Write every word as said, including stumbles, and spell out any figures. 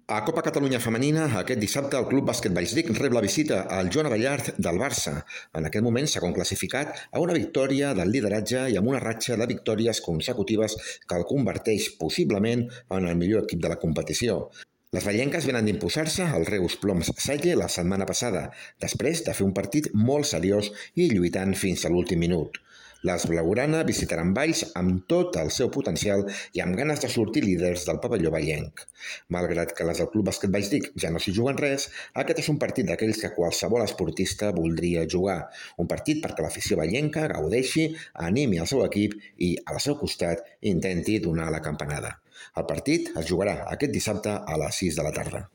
A Copa Catalunya Femenina, aquest dissabte el Club Bàsquet Vallsbric rep la visita al Joan Abellart del Barça. En aquest moment s'ha classificat a una victòria del lideratge i amb una ratxa de victòries consecutives que el converteix possiblement en el millor equip de la competició. Les vallenques venen d'imposar-se al Reus Ploms Salle la setmana passada, després de fer un partit molt seriós i lluitant fins a l'últim minut. Les blaugrana visitaran Valls amb tot el seu potencial i amb ganes de sortir líders del pavelló vallenc. Malgrat que les del Club Bàsquet Vallsbric ja no s'hi juguen res, aquest és un partit d'aquells que qualsevol esportista voldria jugar. Un partit perquè l'afició vallenca gaudeixi, animi el seu equip i, al seu costat, intenti donar la campanada. El partit es jugarà aquest dissabte a les sis de la tarda.